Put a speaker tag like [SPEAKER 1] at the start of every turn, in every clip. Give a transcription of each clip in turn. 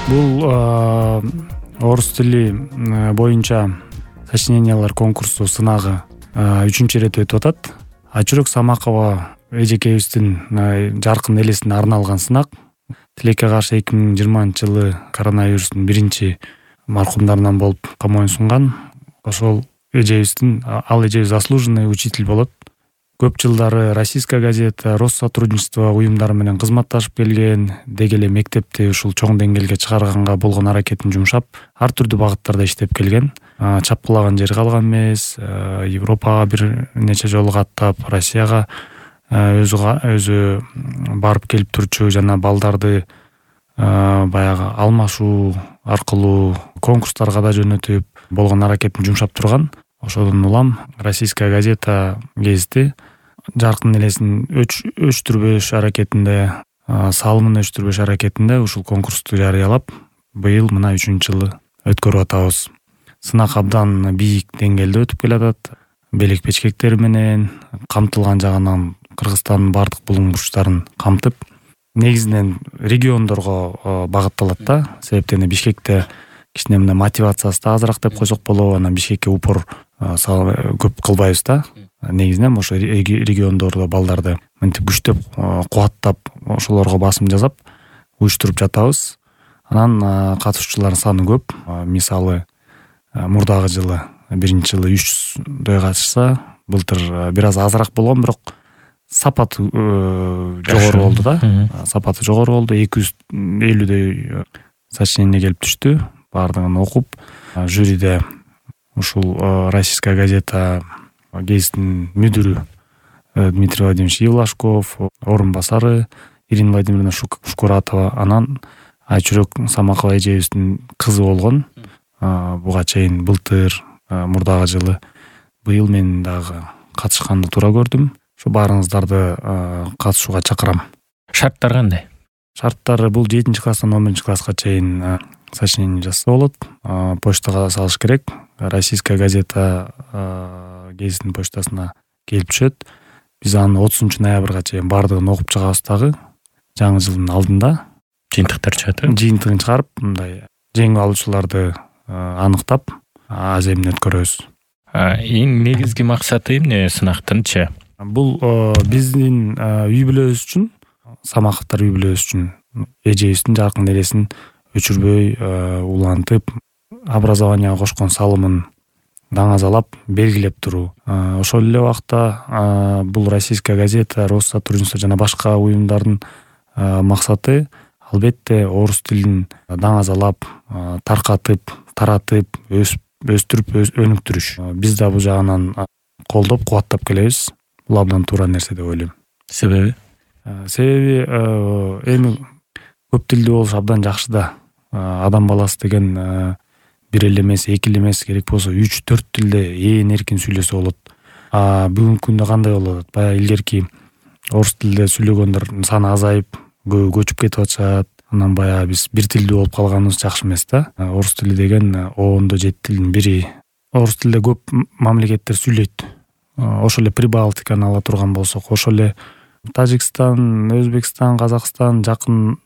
[SPEAKER 1] Бул орус тили боюнча сочинениялар конкурсу сынагы 3-чү ирет өтүп атат. Айчүрөк Самакова эжекебиздин жаркын элесине арналган сынак. Тилекке каршы 2020-жылы коронавирустун биринчи маркумдарынан болуп камоюн сунган. Ошол эжебиздин ал эжебиз заслуженный учитель болот. Көп жылдары Российская газета, Россотрудничество уюмдары менен кызматташып келген, деги эле мектепти ушул чоң деңгээлге чыгарганга болгон аракетин жумшап, ар түрдүү багыттарда иштеп келген. Чапкылаган жери калган эмес, Европага бир нече жолу каттап, Россияга өзү барып келип турчу жана балдарды баягы алмашуу аркылуу конкурстарга да жөнөтүп болгон аракетин жумшап турган. Ошодон улам Российская газета гезити жаркын элесин өчтүрбөш аракетинде, салымын өчтүрбөш аракетинде ушул конкурсту жарыялап, быйыл мына 3-чү жылы өткөрүп атабыз. Сынак абдан бийик деңгээлде өтүп келатат. Белек печкектери менен камтылган жагынан Кыргызстандын бардык булуң бурчтарын камтып, негизинен региондорго багытталат да. Себептен Бишкекте кичине мына мотивациясы да азыраак деп койсок болобу, анан Бишкекке упор көп кылбайбыз да. Негизинен ошо региондордо балдарды мынтип күчтөп, кубаттап, ошолорго басым жасап уюштуруп жатабыз. Анан катышуучулардын саны көп. Мисалы, мурдагы жылы, биринчи жылы 300дөй катышса, былтыр бир аз азыраак болгон, бирок сапаты жогору болду да. Сапаты жогору болду. 250дөй сочинение келип түштү. Бардыгын окуп, жюриде ушул Российская газета гезитинин мүдүрү Дмитрий Владимирович Евлашков, орун басары Ирина Владимировна Шукуратова, анан Айчүрөк Самакова эжебиздин кызы болгон. Буга чейин былтыр, мурдагы жылы, быйыл мен дагы катышканды туура көрдүм. Ошо баарыңыздарды катышууга чакырам.
[SPEAKER 2] Шарттар кандай?
[SPEAKER 1] Шарттары бул 7-класстан 11-класска чейин сочинение жазса болот. Почтага салыш керек. Российская газета гезитинин почтасына келип түшөт. Биз аны 30 ноябрга чейин бардыгын окуп чыгабыз дагы. Жаңы жылдын алдында
[SPEAKER 2] Жыйынтыктар чыгат.
[SPEAKER 1] Жыйынтыгын чыгарып, мындай жеңип алуучуларды аныктап, аз эмне өткөрөбүз.
[SPEAKER 2] Эң негизги максаты эмне сынактынчы?
[SPEAKER 1] Бул биздин үй бүлөбүз үчүн, Самаковдор үй бүлөбүз үчүн эжебиздин жаркын элесин өчүрбөй улантып, образованияга кошкон салымын даңазалап, белгилеп туруу. Ошол эле убакта бул Российская газета, Россотрудничество жана башка уюмдардын максаты албетте орус тилин даңазалап, таркатып, таратып, өстүрүп, өнүктүрүш. Биз да бул жагынан колдоп, кубаттап келебиз. Бул абдан туура нерсе деп ойлойм.
[SPEAKER 2] Себеби?
[SPEAKER 1] Себеби эми көп тилдүү болуш абдан жакшы да. Адам баласы деген бир эле эмес, эки эле эмес, керек болсо 3-4 тилде ээн эркин сүйлөсө болот. Бүгүнкү күндө кандай болуп атат? Баягы илгерки орус тилде сүйлөгөндөр саны азайып, көчүп кетип атышат. Анан баягы биз бир тилдүү болуп калганыбыз жакшы эмес да. Орус тили деген 10-7 тилдин бири. Орус тилде көп мамлекеттер сүйлөйт. Ошол эле Прибалтиканы ала турган болсок, ошол эле Тажикстан, Өзбекстан, Казакстан, жакын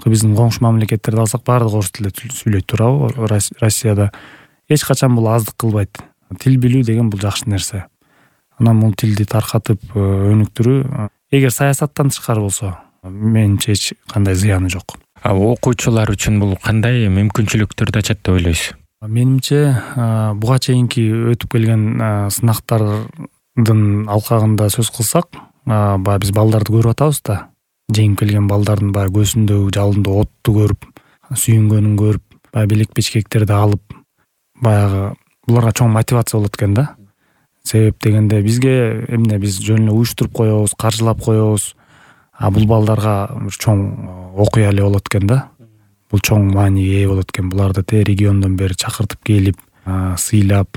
[SPEAKER 1] биздин коңшу мамлекеттерди алсак, баардыгы орус тилде сүйлөйт, туурабы? Россияда эч качан бул аздык кылбайт. Тил билүү деген бул жакшы нерсе. Анан бул тилди таркатып, өнүктүрүү, эгер саясаттан тышкары болсо, менимче эч кандай зыяны жок.
[SPEAKER 2] Окуучулар үчүн бул кандай мүмкүнчүлүктөрдү ачат деп ойлойсуз?
[SPEAKER 1] Менимче, буга чейинки өтүп келген сынактардын алкагында сөз кылсак, баягы биз балдарды көрүп атабыз да. Жеңип келген балдардын баягы көзүндөгү жалындуу отту көрүп, сүйүнгөнүн көрүп, баягы белек печкектерди алып, баягы буларга чоң мотивация болот экен да. Себеп дегенде бизге эмне, биз жөн эле уюштуруп коебуз, каржылап коебуз. Бул балдарга чоң окуя эле болот экен да. Бул чоң мааниге ээ болот экен. Буларды региондон бери чакыртып келип, сыйлап,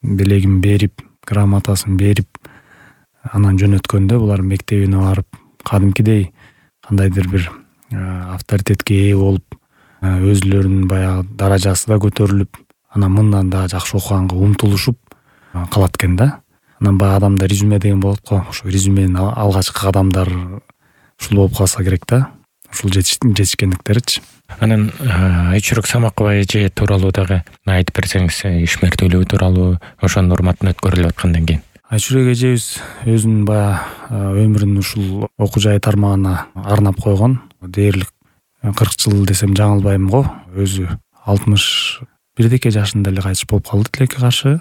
[SPEAKER 1] белегин берип, грамотасын берип, анан жөнөткөндө булар мектебине барып, кадимкидей кандайдыр бир авторитетке ээ болуп, өзүлөрүнүн баягы даражасы да көтөрүлүп, анан мындан да жакшы окуганга умтулушуп калат экен да. Анан баягы адамда резюме деген болот го. Ошо резюменин алгачкы кадамдар ушул болуп калса керек да. ушул жетишкендиктеричи.
[SPEAKER 2] Анан Айчүрөк Самакова эже тууралуу дагы айтып берсеңиз, ишмердүүлүгү тууралуу, ошонун урматына өткөрүлүп аткандан кийин.
[SPEAKER 1] Айчүрөк эжебиз өзүнүн баягы өмүрүн ушул окуу жай тармагына арнап койгон. Дээрлик 40 жыл десем жаңылбайм го. Өзү 61 жашында эле кайтыш болуп калды тилекке каршы.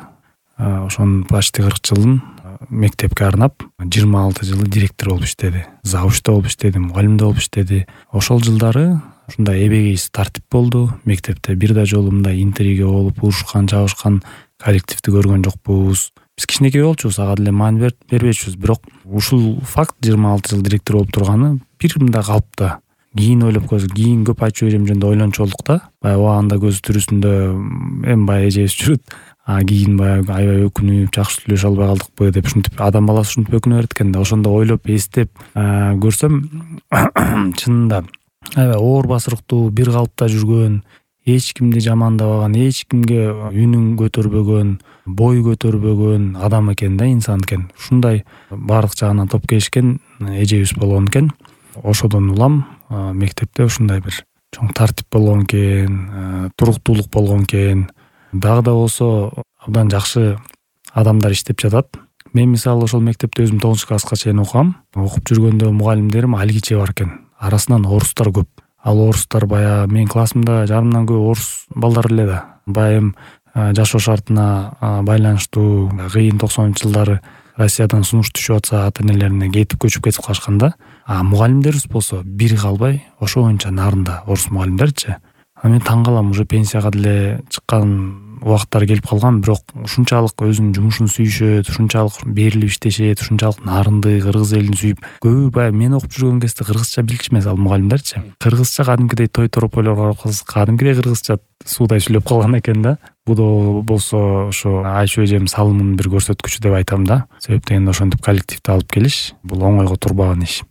[SPEAKER 1] Ошонун почти 40 жылын мектепке арнап, 26 жылы директор болуп иштеди. Завучта болуп иштеди, мугалимде болуп иштеди. Ошол жылдары ушундай эбегейсиз тартип болду. Мектепте бир да жолу мындай интрига болуп, урушкан, жабышкан коллективди көргөн жокпуз. Биз кичинекей болчубуз, ага деле маани бербечүбүз. Бирок ушул факт 26 жыл директор болуп турганы бир мындай калпта. Кийин ойлоп койсок, кийин көп Айчү эжем жөнүндө ойлончу болдук да. Баягы убагында көз тирүүсүндө эми баягы эжебиз жүрөт. Кийин баягы аябай өкүнүп, жакшы сүйлөшө албай калдыкпы деп ушинтип адам баласы ушинтип өкүнө берет экен да. Ошондо ойлоп, эстеп көрсөм чынында аябай оор басырыктуу, бир калыпта жүргөн, эч кимди жамандабаган, эч кимге үнүн көтөрбөгөн, бой көтөрбөгөн адам экен да, инсан экен. Ушундай баардык жагынан топ келишкен эжебиз болгон экен. Ошодон улам мектепте ушундай бир чоң тартип болгон экен, туруктуулук болгон экен. Дагы да болсо абдан жакшы адамдар иштеп жатат. Мен мисалы ошол мектепте өзүм 9 класска чейин окугам. Окуп жүргөндө мугалимдерим алгиче бар экен. Арасынан орустар көп. Ал орустар баягы менин классымда жарымдан көп орус балдар эле да. Баягы жашоо шартына байланыштуу кыйын 90-жылдары Россиядан сунуш түшүп атса ата энелерине кетип көчүп калышканда, мугалимдерибиз болсо бири калбай ошо боюнча нарында орус мугалимдерчи. Мен таң калам, уже пенсияга деле чыккан убактар келип калган, бирок ушунчалык өзүнүн жумушун сүйүшөт, ушунчалык берилип иштешет, ушунчалык нарынды, кыргыз элин сүйүп. Көбү баягы мен окуп жүргөн кезде кыргызча билчү ал мугалимдерчи. Кыргызча кадимкидей той торополорго барып калсак, кадимкидей кыргызча суудай сүйлөп калган экен да. Бул да болсо ошо Айчү эжем салымынын бир көрсөткүчү деп айтам да. Себеп дегенде ошентип коллективди алып келиш бул оңойго турбаган иш.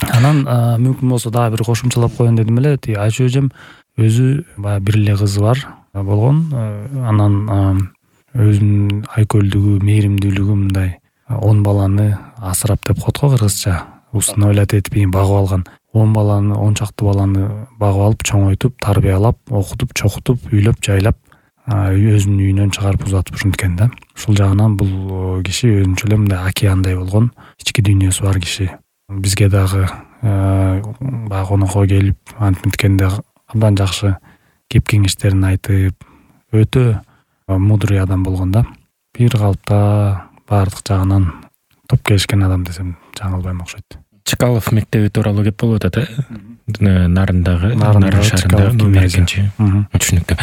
[SPEAKER 1] Анан мүмкүн болсо дагы бир кошумчалап коеюн дедим эле. Айчү эжем өзү баягы бир эле кызы бар болгон. Анан өзүнүн айкөлдүгү, мээримдүүлүгү мындай 10 баланы асырап деп коет го кыргызча. Усыновлять этип багып алган 10 баланы, 10 чакты баланы багып алып, чоңойтуп, тарбиялап, окутуп, чокутуп, үйлөп, жайлап, өзүнүн үйүнөн чыгарып узатып ушинткен да. Ушул жагынан бул киши өзүнчө эле мындай океандай болгон, ички дүйнөсү бар киши. Бизге дагы баягы конокко келип, антиткенде абдан жакшы кеп кеңештерин айтып, өтө мудрый адам болгон да. Бир калыпта баардык жагынан топ келишкен адам десем жаңылбайм окшойт.
[SPEAKER 2] Чкалов мектеби тууралуу кеп болуп атат, Нарындагы, Нарын шаарындагы номер 2. Түшүнүктүү.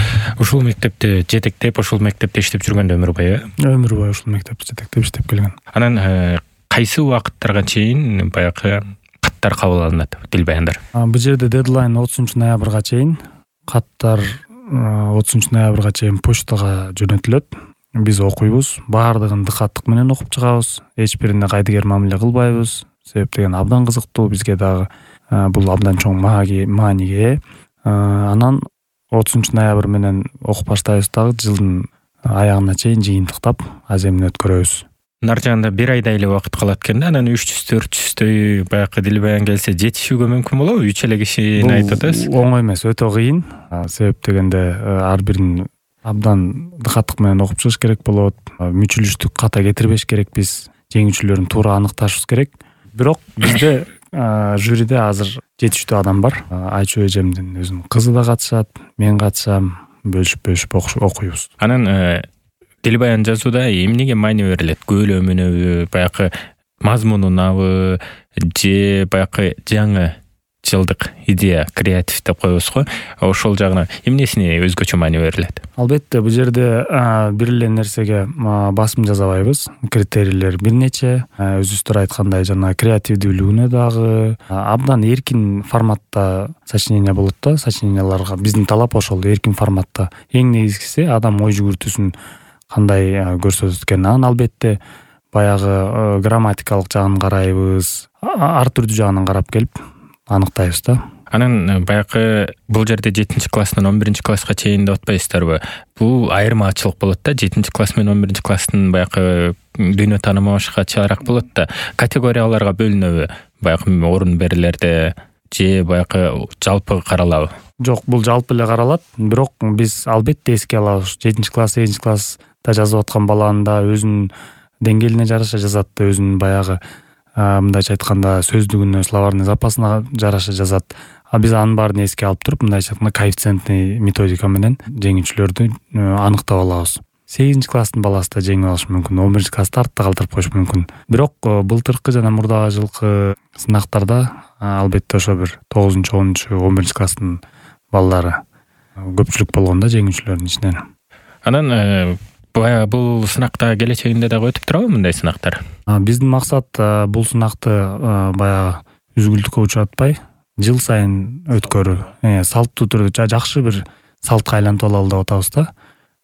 [SPEAKER 2] Ушул мектепте жетектеп, ушул мектепте иштеп жүргөндө өмүр бою?
[SPEAKER 1] Өмүр бою ушул мектепте жетектеп иштеп келген.
[SPEAKER 2] Анан кайсы убакыттарга чейин баягы каттар кабыл алынат, тил баяндар?
[SPEAKER 1] Бул жерде дедлайн 30-ноябрга чейин, каттар 30-ноябрга чейин почтага жөнөтүлөт. Биз окуйбуз, баардыгын дыкаттык менен окуп чыгабыз. Эч бирине кайдыгер мамиле кылбайбыз. Себеп деген абдан кызыктуу, бизге дагы бул абдан чоң мааниге. Анан 30-ноябрь менен окуп баштайбыз дагы, жылдын аягына чейин жыйынтыктап, аземин өткөрөбүз.
[SPEAKER 2] Нар жагында бир айдай эле убакыт калат экен да, анан 300-400 баягы дил баян келсе жетишүүгө мүмкүн болобу? 3 эле кишини айтып атасыз.
[SPEAKER 1] Оңой эмес, өтө кыйын. Себеп дегенде ар бирин абдан дыкаттык менен окуп чыгыш керек болот. Мүчүлүштүк ката кетирбеш керекпиз. Жеңүүчүлөрүн туура аныкташыбыз керек. Бирок бизде жюриде азыр жетиштүү адам бар. Айчү эжемдин өзүнүн кызы да катышат, мен катышам, бөлүшүп окуйбуз.
[SPEAKER 2] Анан тил баян жазууда эмнеге маани берилет? Көлөмүнө, баягы мазмунунабы, же баягы жаңы жылдык идея, креатив деп коебуз го. Ошол жагына эмнесине өзгөчө маани берилет?
[SPEAKER 1] Албетте, бул жерде бир эле нерсеге басым жасабайбыз. Критерийлер бир нече. Өзүңүздөр айткандай, жана креативдүүлүгүнө дагы абдан эркин форматта сочинение болот да. Сочиненияларга биздин талап ошол, эркин форматта. Эң негизгиси адам ой жүгүртүүсүн кандай көрсөтөт экен. Анан албетте баягы грамматикалык жагын карайбыз. Ар түрдүү жагынан карап келип аныктайбыз да.
[SPEAKER 2] Анан баягы бул жерде 7-класстан 11-класска чейин деп атпайсыздарбы? Бул айырмачылык болот да. 7-класс менен 11-класстын баягы дүйнө таанымы башкачараак болот да. Категорияларга бөлүнөбү? Баягы орун берилерде же баягы жалпы каралабы?
[SPEAKER 1] Жок, бул жалпы эле каралат. Бирок биз албетте эске алабыз. 7-класс, 8-класста жазып аткан баланын да өзүнүн деңгээлине жараша жазат, өзүнүн баягы мындайча айтканда сөздүгүнө, словарный запасына жараша жазат. Биз анын баарын эске алып туруп, мындайча айтканда коэффициентный методика менен жеңүүчүлөрдү аныктап алабыз. 8-класстын баласы да жеңип алышы мүмкүн, 11-класста артта калтырып коюшу мүмкүн. Бирок былтыркы жана мурдагы жылкы сынактарда албетте ошо бир 9-10, 11-класстын балдары көпчүлүк болгон да жеңүүчүлөрдүн ичинен.
[SPEAKER 2] Анан баягы бул сынакта келечегинде дагы өтүп турабы мындай сынактар?
[SPEAKER 1] Биздин максат бул сынакты баягы үзгүлтүккө учуратпай, жыл сайын өткөрүү, салттуу түрдө жакшы бир салтка айлантып алалы деп атабыз да.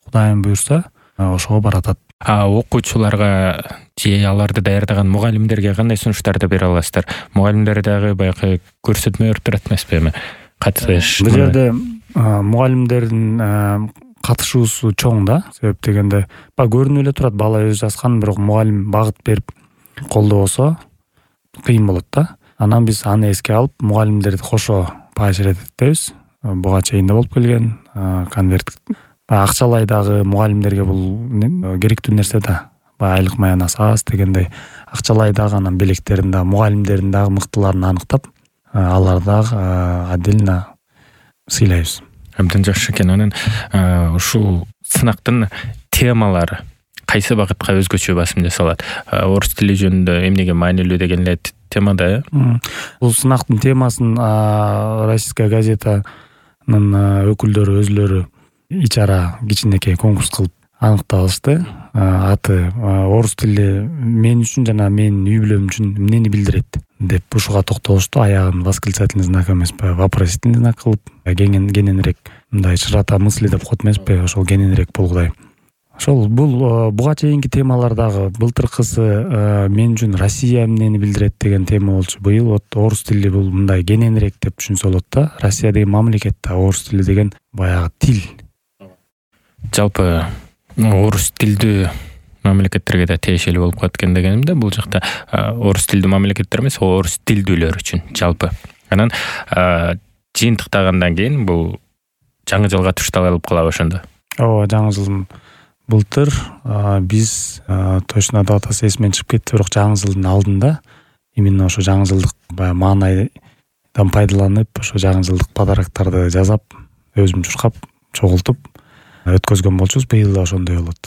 [SPEAKER 1] Кудайым буйрса, ошого баратат.
[SPEAKER 2] Окуучуларга же аларды даярдаган мугалимдерге кандай сунуштарды бере аласыздар? Мугалимдер дагы баягы көрсөтмө берип турат эмеспи эми? Катыш.
[SPEAKER 1] Бул жерде мугалимдердин катышуусу чоң да. Себеп дегенде, көрүнүп эле турат, бала өзү жазган, бирок мугалим багыт берип колдобосо кыйын болот да. Анан биз аны эске алып, мугалимдерди кошо поощрять этебиз. Буга чейин да болуп келген, конверт акчалай дагы мугалимдерге бул керектүү нерсе да. Айлык маянасы аз дегендей акчалай дагы, анан белектерин да, мугалимдердин дагы мыктыларын аныктап, аларды дагы отдельно сыйлайбыз.
[SPEAKER 2] Абдан жакшы экен. Анан ушул сынактын темалары кайсы багытка өзгөчө басым жасалат? Орус тили жөнүндө эмнеге маанилүү деген эле тема да.
[SPEAKER 1] Бул сынактын темасын Российская газетанын өкүлдөрү өзүлөрү ичара кичинекей конкурс кылып аныктап алышты. Аты орус тили мен үчүн жана менин үй бүлөм үчүн эмнени билдирет деп ушуга токтолушту. Аягын восклицательный знак эмеспи, вопросительный знак кылып, кененирээк мындай широта мысли деп коет эмеспи, ошол кененирээк болгудай. Ошол буга чейинки темалар дагы былтыркысы мен үчүн Россия эмнени билдирет деген тема болчу. Быйыл орус тили бул мындай кененирээк деп түшүнсө болот да. Россия деген мамлекет да, орус тили деген баягы тил.
[SPEAKER 2] Жалпы орус тилдүү мамлекеттерге да тиешелүү болуп калат экен дегенимде, бул жакта орус тилдүү мамлекеттер эмес, орус тилдүүлөр үчүн жалпы. Анан жыйынтыктагандан кийин бул жаңы жылга тушталып калабы ошондо? Ооба,
[SPEAKER 1] жаңы жылдын былтыр биз точно датасы эсимен чыгып кетти, бирок жаңы жылдын алдында именно ошо жаңы жылдык баягы маанайдан пайдаланып, ошо жаңы жылдык подароктарды жасап, өзүм чуркап, чогултуп өткөзгөн болчубуз. Быйыл да ошондой болот.